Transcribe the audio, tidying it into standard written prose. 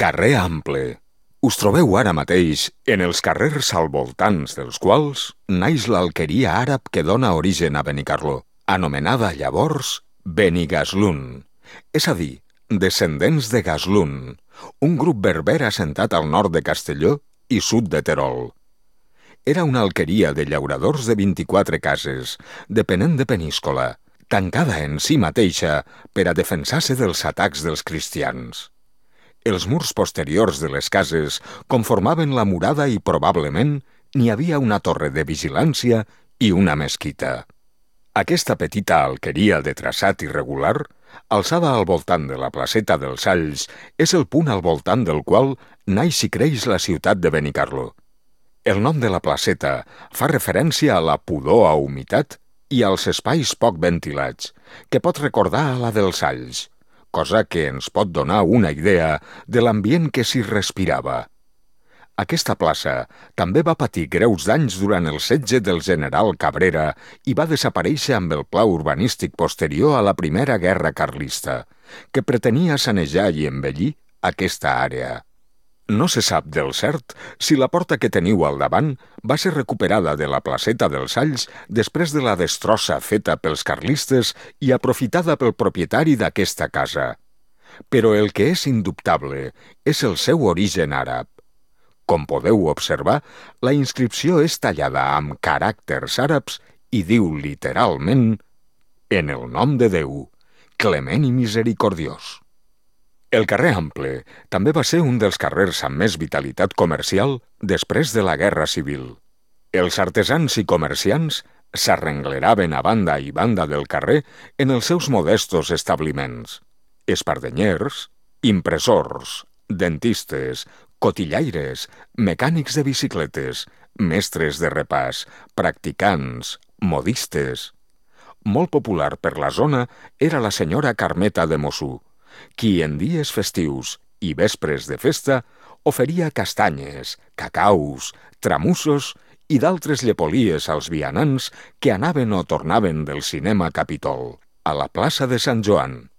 Carrer Ample. Us trobeu ara mateix en els carrers al voltants dels quals naix l'alqueria àrab que dona origen a Benicarló, anomenada llavors Benigaslun, és a dir, descendents de Gaslun, un grup berber assentat al nord de Castelló i sud de Terol. Era una alqueria de llauradors de 24 cases, depenent de Peníscola, tancada en si mateixa per a defensar-se dels atacs dels cristians. Els murs posteriors de les cases conformaven la murada i probablement n'hi havia una torre de vigilància i una mesquita. Aquesta petita alqueria de traçat irregular, alçada al voltant de la placeta dels Alls, és el punt al voltant del qual naix i creix la ciutat de Benicarló. El nom de la placeta fa referència a la pudor a humitat i als espais poc ventilats, que pot recordar a la dels Alls, cosa que ens pot donar una idea de l'ambient que s'hi respirava. Aquesta plaça també va patir greus danys durant el setge del general Cabrera i va desaparèixer amb el pla urbanístic posterior a la Primera Guerra Carlista, que pretenia sanejar i embellir aquesta àrea. No se sap del cert si la porta que teniu al davant va ser recuperada de la placeta dels Alls després de la destrossa feta pels carlistes i aprofitada pel propietari d'aquesta casa. Però el que és indubtable és el seu origen àrab. Com podeu observar, la inscripció és tallada amb caràcters àrabs i diu literalment «En el nom de Déu, clement i misericordiós». El carrer Ample també va ser un dels carrers amb més vitalitat comercial després de la Guerra Civil. Els artesans i comerciants s'arrengleraven a banda i banda del carrer en els seus modestos establiments. Espardenyers, impressors, dentistes, cotillaires, mecànics de bicicletes, mestres de repàs, practicants, modistes. Molt popular per la zona era la senyora Carmeta de Mossú, qui en dies festius i vespres de festa oferia castanyes, cacaus, tramussos i d'altres llepolies als vianants que anaven o tornaven del cinema Capitol, a la plaça de Sant Joan.